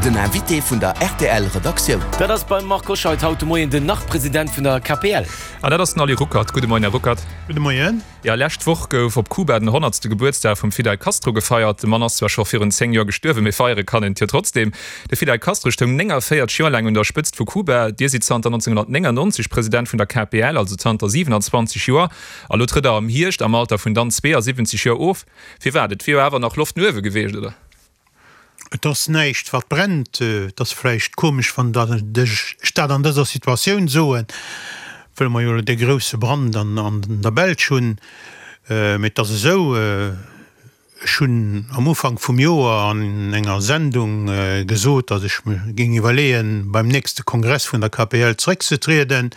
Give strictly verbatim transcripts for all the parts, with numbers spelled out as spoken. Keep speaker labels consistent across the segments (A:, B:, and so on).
A: Den Invité vun der R T L Redaktioun.
B: Dat ass beim Marc Hoscheid haut de Moien den Nach-President vun der K P L.
C: An dat ass den Ali Ruckert. Gudde Moien, Här Ruckert.
D: Gudde Moien.
C: Ja, lescht Woch gouf op Kuba den honnertste Gebuertsdag vum Fidel Castro gefeiert. De Mann ass zwar scho virun zéng Joer gestuerwen, mee feiere kann een et jo trotzdem. De Fidel Castro stoung néngavéierzeg Joer laang un der Spëtzt vu Kuba. Dir sidd zanter nonzénghonnertnéngannonzeg President vun der K P L, also zanter siwenanzwanzeg Joer. A lo trëtt Der am Hierscht am Alter vun dann zweeasiwwenzeg Joer of. Firwat? Et wier jo awer nach Loft no uewe gewiescht, oder?
D: Et ass näischt wat brennt. Et ass vläicht komesch, wann ech dat an dëser Situatioun soen, wëll mer jo elo dee grousse Brand an der Belsch hunn. Mee et ass esou, ech hunn am Ufank vum Joer an enger Sendung gesot, datt ech mer géing iwwerleeën, beim nächste Kongress vun der K P L zeréckzetrieden.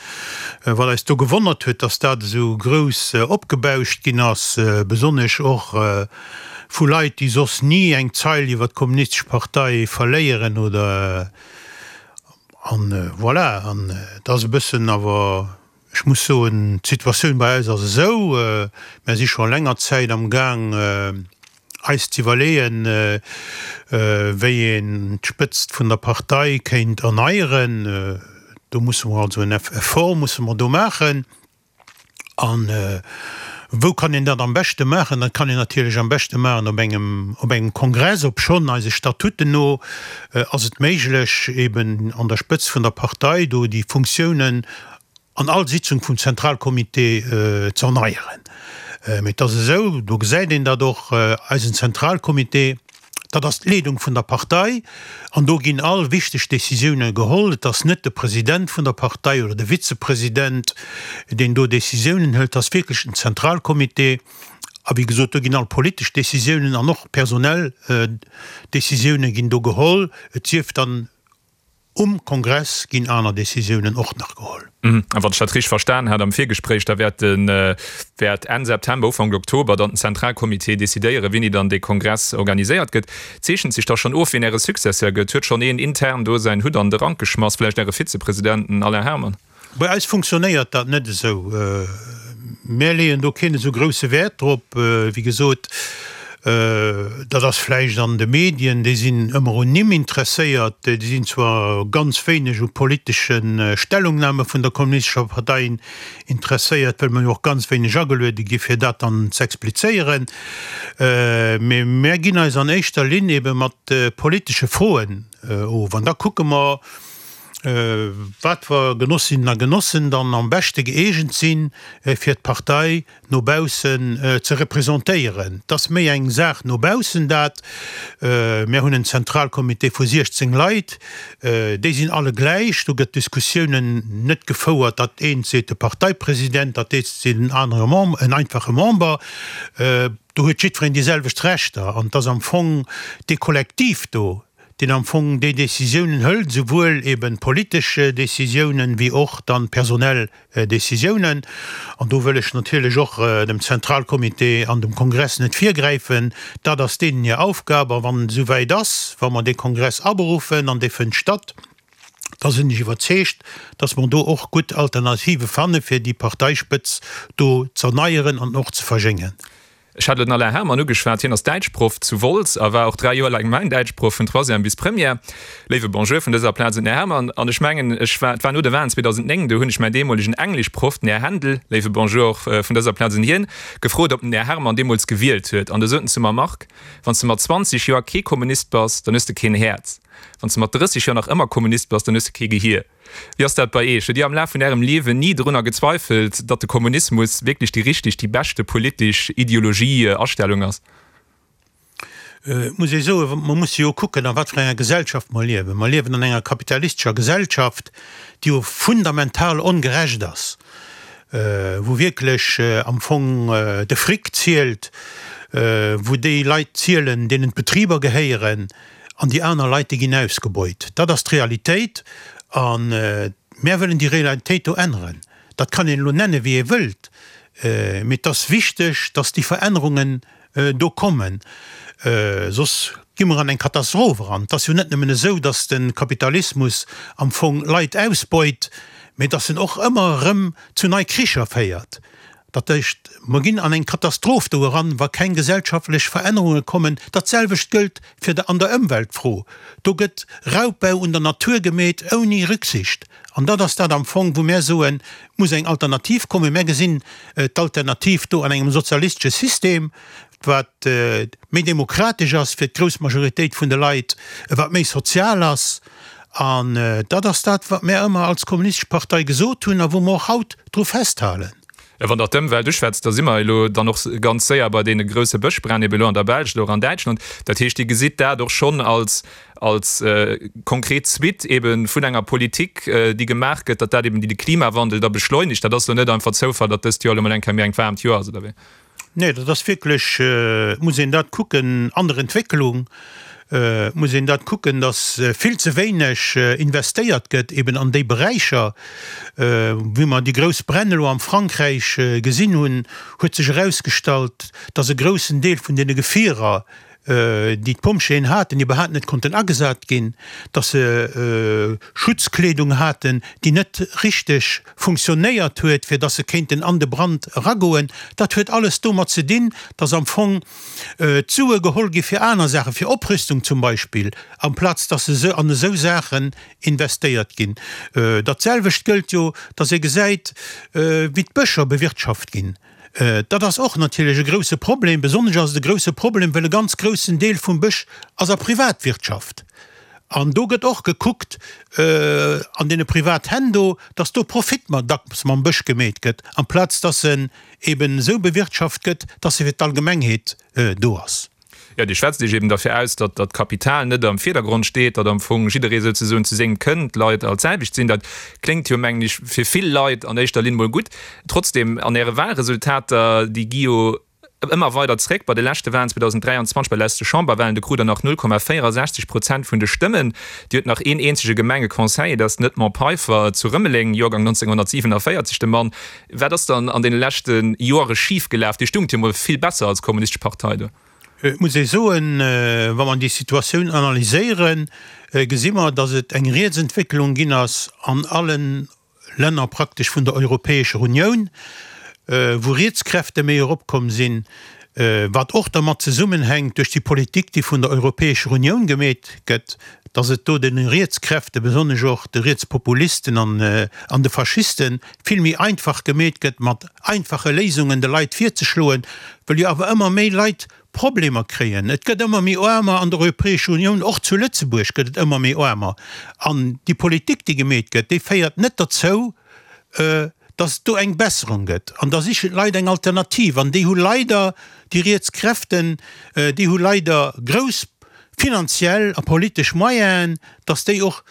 D: Wat eis do gewonnert huet, datt dat esou grouss opgebauscht ginn ass, besonnesch och vu Leit, déi soss ni eng Zeil iwwer d'Kommunistesch Partei verléieren oder an voilà. An et ass e bëssen awer, ech muss soen, d'Situatioun bei eis ass esou, mär si scho länger Zäit am Gaang eis z'iwwerleeën, wéi een d'Spëtzt vun der Partei kéint erneieren. Do musse mer also en Effort musse mer do maachen. An wou kann een dat am beschte maachen? Dat kann een natierlech am beschte maachen op engem, op engem Kongress. Obschonn eise Statuten no ass et méiglech, eben an der Spëtzt vun der Partei do déi Funktiounen an all Sitzung vum Zentralcomité ze erneieren. Mee et ass esou, do gesäit een dat och, eisen Zentralcomité, dat ass d'Leedung vun der Partei an do ginn all wichteg Décisioune geholl. Et ass net de President vun der Partei oder de Vizepresident, deen do Décisiounen hëlt, et ass wierklech den Zentralcomité. A wéi gesot, do ginn all politesch Décisiounen an och personell Décisioune ginn do geholl. Et sief dann um Kongress ginn aner Décisiounen och nach geholl.
C: A wann ech dat richteg verstan hat am Virgespréich, da wäert den, wäert Enn September, Ufank Oktober dann den Zentralcomité decidéieren, wéini dann dee Kongress organiséiert gëtt. Zeechent sech da schonn of, wien Äre Successeur gëtt? Huet schonn een intern do säin Hutt an de Rank geschmass, vläicht Äre Vizepresident, den Alain Herman?
D: Bei eis funktionéiert dat net esou. Mär leeën do keen esou grousse Wäert drop. Wéi gesot, dat ass vläicht an de Medien, déi sinn ëmmer un Nimm interesséiert, déi sinn zwar ganz wéineg u politesche Stellungnahme vun der Kommunistescher Partei interesséiert, well mer jo och ganz wéineg ageluede gi fir dat dann z'explizéieren, mee mär ginn eis an éischter Linn ebe mat politesche Froen of an da kucke mer, wat fir Genossinnen a Genossen dann am beschte gëeegent sinn, fir d'Partei no baussen ze representéieren. Et ass méi eng Saach no baussen dat. Mir hunn en Zentralcomité vu siechzéng Leit, déi sinn alle gläich. Do gëtt d'Diskussiounen net gefouert, dat eent seet de Parteipresident, dat eent seet en anere Member, en einfache Member. Do huet jiddwereen déi selwecht Rechter an et ass am Fong dee Kollektiv do, deen am Fong déi Décisiounen hëlt, souwuel eben politesch Décisiounen wéi och dann personell Décisiounen. An do wëll ech natierlech och dem Zentralcomité an dem Kongress net virgräifen. Dat ass deenen hir Aufgab. A wann et esouwäit ass, wa mer dee Kongress aberuffen an dee fënnt statt, da sinn ech iwwerzeegt, dass mer do och gutt Alternative fanne fir déi Parteispëtz do z'erneieren an och ze verjéngen.
C: Ech hat elo den Alain Herman ugeschwat. Hien ass Däitschproff zu Wolz a war och dräi Joer laang mäin Däitschproff vun Troisième bis Première. Léiwe Bonjour vun dëser Plaz un den Här Herman. An ech mengen, ech war, et war no de Wahlen zweedausendnéng, do hunn ech mäin deemolegen Engleschproff, den Här Händel, léiwe Bonjour och vun dëser Plaz un hien, gefrot, ob den Här Herman deemools gewielt huet. An du sot en zu mer, Marc, wann s de mat zwanzeg Joer kee Kommunist bass, dann hues de keen Häerz. Wann s de mat drësseg Joer nach ëmmer Kommunist bass, dann hues de kee Gehier. Wéi ass dat bei Eech? Hutt Dir am Laf vun Ärem Liewen ni drunner gezweifelt, datt de Kommunismus wierklech déi richteg, déi beschte politesch Ideologie, Astellung ass?
D: Et muss ee soen, mer musse jo kucken, a wat fir enger Gesellschaft mer liewen. Mer liewen an enger kapitalistescher Gesellschaft, déi jo fundamental ongerecht ass, wou wierklech am Fong de Fric zielt, wou déi Leit zielen, deenen d'Betriber gehéieren, an déi aner Leit, déi ginn ausgebeut. Dat ass d'Realitéit a mär wëllen déi Realitéit do änneren. Dat kann een elo nenne wéi ee wëllt, mee et ass wichteg, datt déi Verännerungen do kommen, soss gi mer an eng Katastroph eran. Et ass jo net nëmmen esou, datt de Kapitalismus am Fong Leit ausbeut, mee datt en och ëmmer erëm zu nei Kricher féiert. Dat heescht, mer ginn an eng Katastroph do eran, wa keng gesellschaftlech Verännerunge kommen. Dat selwecht gëllt fir de an der Ëmweltfro. Do gëtt Raubbau un der Natur gemeet ouni Rücksicht. An dat ass dat am Fong, wou mär soen, et muss eng Alternativ kommen. Mär gesinn d'Alternativ do an engem sozialistesche System, wat méi demokratesch ass fir d'grouss Majoritéit vun de Leit, wat méi sozial ass. An dat ass dat, wat mär ëmmer als Kommunistesch Partei gesot hunn a wou mer och haut dru festhalen.
C: Wann Der d'Ëmwelt uschwätzt, da si mer elo dann och ganz séier bei deene grousse Bëschbränn ebe elo an der Belsch oder och an Däitschland. Dat heescht, Dir gesitt dat och schonn als, als konkret Suite ebe vun enger Politik, déi gemaach gëtt, datt dat eben déi de Klimawandel da beschleunigt. Dat ass elo net einfach Zoufall, datt dëst Joer elo mol eng Kéier méi engt waarmt Joer ass, oder wéi?
D: Nee, dat ass wierklech, et muss een dat kucken an der Entwécklung, et muss een dat kucken, datt vill ze wéineg investéiert gëtt eben an déi Beräicher. Wéi mer déi grouss Bränn elo am Frankräich gesinn hunn, huet sech erausgestallt, datt e groussen Deel vun deene Gefierer, déi d'Pompjeeën haten, iwwerhaapt net konnten agesat ginn, dass se Schutzkleedung haten, déi net richteg funktionéiert huet, fir dass se kéinten an de Brand eragoen. Dat huet alles domat ze dinn, dass am Fong d'Sue geholl gi fir aner Saachen, fir Oprüstung zum Beispill, amplaz dass se an esou Saachen investéiert ginn. Dat selwecht gëllt jo, dass ee gesäit, wéi d'Bëscher bewirtschaft ginn. Dat ass och natierlech e grouse Problem. Besonnesch ass et e grouse Problem, well e ganz groussen Deel vum Bësch ass a Privatwirtschaft. An do gëtt och gekuckt an deene Privathänn do, dass do Profit dacks mam Bësch gemeet gëtt, amplaz dass en eben esou bewirtschaft gëtt, dass e fir d'Allgemengheet do ass.
C: Jo, Dir schwätzt Iech eben derfir aus, datt datt d'Kapital net am Virdergrond steet, datt am Fong jidderee souzesoen zu sengem kënnt, d'Leit all d'selwecht sinn. Dat kléngt jo, mengen ech, fir vill Leit an éischter Linn mol gutt. Trotzdem, an Äre Wahlresultater, déi gi jo ëmmer weider zréck. Bei de leschte Wahlen zweedausenddräianzwanzeg, bei de leschte Chamberwahlen, do krut Der nach null Komma véierasechzeg Prozent vun de Stëmmen. Dir hutt nach een eenzege Gemengeconseiller, dat ass den Edmond Peiffer zu Rëmeleng, Joergang nonzénghonnertsiwenavéierzeg, de Mann. Wat ass dann an deene leschte Joere schifgelaf? Dir stungt jo mol vill besser als Kommunistesch Partei do.
D: Et muss ee soen, wa mer déi Situatioun analyséieren, gesi mer, datt et eng Rietsentwécklung ginn ass an alle Länner praktesch vun der Europäescher Unioun, wou Rietskräfte méi eropkomm sinn, wat och dermat zesummenhänkt duerch déi Politik, déi vun der Europäescher Unioun gemeet gëtt, datt et do de Rietskräfte, besonnesch och de Rietspopulisten an de Faschisten, vill méi einfach gemeet gëtt, mat einfache Léisungen de Leit virzeschloen, well jo awer ëmmer méi Leit Problemer kréien. Et gëtt ëmmer méi Aarmer an der Europäescher Unioun, och zu Lëtzebuerg gëtt et ëmmer méi Aarmer. An déi Politik, déi gemeet gëtt, déi féiert net derzou, datt et do eng Besserung gëtt. An da sichen d'Leit eng Alternativ. An déi hu leider, déi riets Kräften, déi hu leider grouss finanziell a politesch Moyenen, datt déi och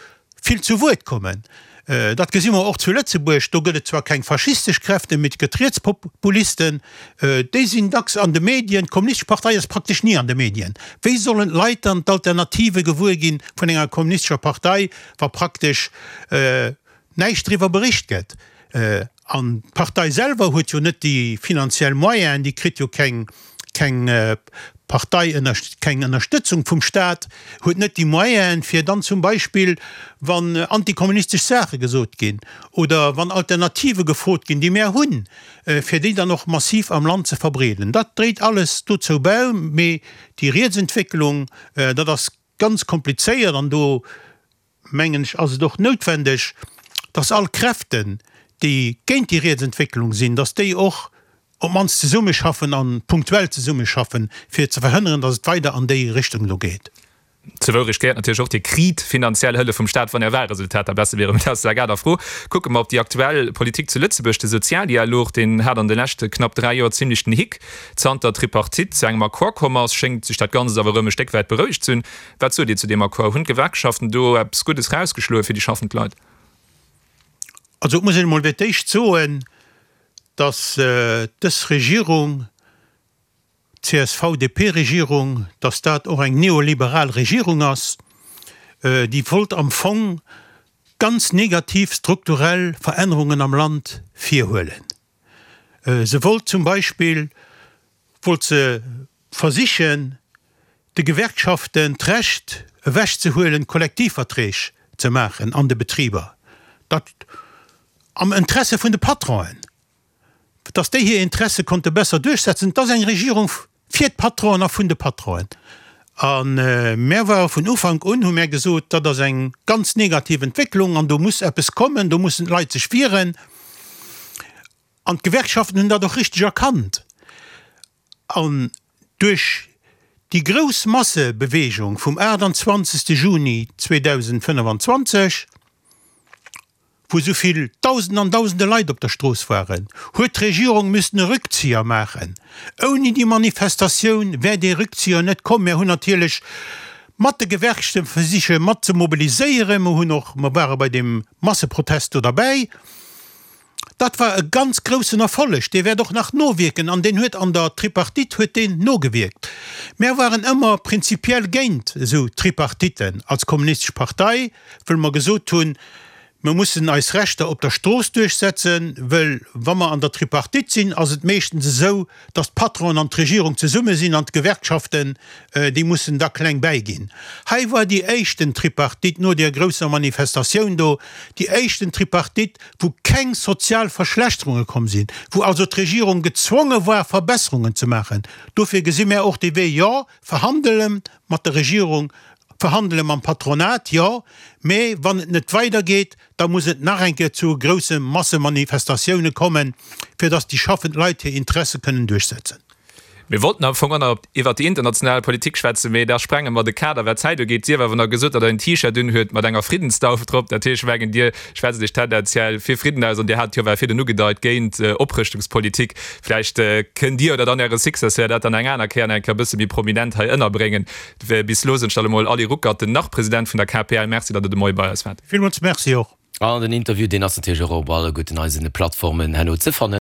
D: vill zu Wuert kommen. Dat gesi mer och zu Lëtzebuerg. Do gëtt et zwar keng faschistesch Kräften, mee et gëtt Rietspopulisten. Déi sinn dacks an de Medien. D'Kommunistesch Partei ass praktesch ni an de Medien. Wéi sollen d'Leit dann d'Alternative gewuer gi vun enger kommunistescher Partei, wa praktesch näischt driwwer bericht gëtt? An d'Partei selwer huet jo net déi finanziell Moyenen, déi kritt jo keng keng Partei, keng Ënnerstëtzung vum Staat, huet net déi Moyenen, fir dann zum Beispill, wann antikommunistesch Saache gesot ginn oder wann Alternative gefrot ginn, déi mär hunn, fir déi dann och massiv am Land ze verbreeden. Dat dréit alles dozou bäi. Mee déi Rietsentwécklung, dat ass ganz komplizéiert an do, mengen ech, ass et och noutwendeg, dass all Kräften, déi géint déi Rietsentwécklung sinn, dass déi och op d'mannst zesummeschaffen a punktuell zesummeschaffen, fir ze verhënneren, datt et weider an déi Richtung do geet.
C: Zur Wourecht gehéiert natierlech och, Dir kriit finanziell Hëllef vum Staat, wann Är Wahlresultater besser wieren. Mee dat ass eng aner Fro. Kucke mer op déi aktuell Politik zu Lëtzebuerg. De Sozialdialog, deen hat an de leschte knapp dräi Joer zimlech den Hick. Zanter d'Tripartite zu engem Accord komm ass, schéngt sech dat Ganzt awer erëm e Stéck wäit berouegt ze hunn. Wat sot Dir zu deem Accord? Hunn d'Gewerkschaften do eppes Guddes rausgeschloe fir déi schaffend Leit?
D: Also et muss een emol fir d'éischt soen, datt dës Regierung, d'CSV-DP-Regierung, datt dat och eng neoliberal Regierung ass, déi wollt am Fong ganz negativ strukturell Verännerungen am Land virhuelen. Se wollt zum Beispill, wollt se versichen, de Gewerkschaften d'Recht ewechzehuelen, Kollektivverträg ze maachen an de Betriber, dat am Interesse vun de Patronen. dass déi hir Interesse konnte besser duerchsetzen. Et ass eng Regierung fir d'Patronen a vun de Patronen. A mär ware vun Ufank un, hu mär gesot, dat ass eng ganz negativ Entwécklung an do muss eppes kommen, do mussen d'Leit sech wieren. An d'Gewerkschaften hunn dat och richteg erkannt. An duerch déi grouss Massebewegung vum aachtanzwanzegste Juni zweedausendfënnefenzwanzeg, wou esou vill Dausenden an Dausende Leit op der Strooss waren, huet d'Regierung müssen e Rückzieher maachen. Ouni déi Manifestatioun wär dee Rückzieher net komm. Mir hunn natierlech mat de Gewerkschafte versiche mat ze mobiliséieren. Mer hunn och, mer ware bei deem Masseprotest do derbäi. Dat war e ganz groussen Erfolleg, dee wäert och nach nowierken an deen huet an der Tripartite huet deen nogewierkt. Mär waren ëmmer prinzipiell géint esou Tripartiten als Kommunistesch Partei, wëll mer gesot hunn, Mer mussen eis Rechter op der Strooss duerchsetzen, wëll wa mer an der Tripartite sinn, ass et meeschtens esou, datt d'Patronen an d'Regierung zesumme sinn an d'Gewerkschaften, déi mussen da kleng bäiginn. Hei war déi éischten Tripartite no deer grousser Manifestatioun do, déi éischten Tripartite, wou keng sozial Verschlechterunge komm sinn, wou also d'Regierung gezwonge war, Verbesserungen ze maachen. Dofir gesi mär och dee Wee, jo, verhandele mat der Regierung, Verhandele mam Patronat, jo, mä wann et net weidergeet, da muss et nach eng Kéier zu grousse Massemanifestatioune kommen, fir datt déi schaffend Leit hir Interesse kënnen duerchsetzen.
C: Mir wollten am Fong och nach iwwert déi international Politik schwätzen, mee da sprenge mer de Kader, wat d'Zäit ugeet. Sief awer nach gesot, datt Der en T-Shirt unhuet mat enger Friddensdauf drop. Dat heescht, ech mengen, Dir schwätzt Iech tendenziell fir Fridden aus an Dir hat jo well virden ugedeit, géint Oprëschtungspolitik. Vläicht kënnt Dir oder dann Äre Successeur dat dann eng aner Kéier nach eng Kéier e bësse méi prominent hei ënnerbréngen. Bis elo sinn ech dann emol Ali Ruckert, den Nach-President vun der K P L. Merci, datt Der de Moie bei eis waart.
D: Villmools Merci och.
B: An den Interview, deen ass natierlech och op alleguerten eisen Plattformen herno ze fannen.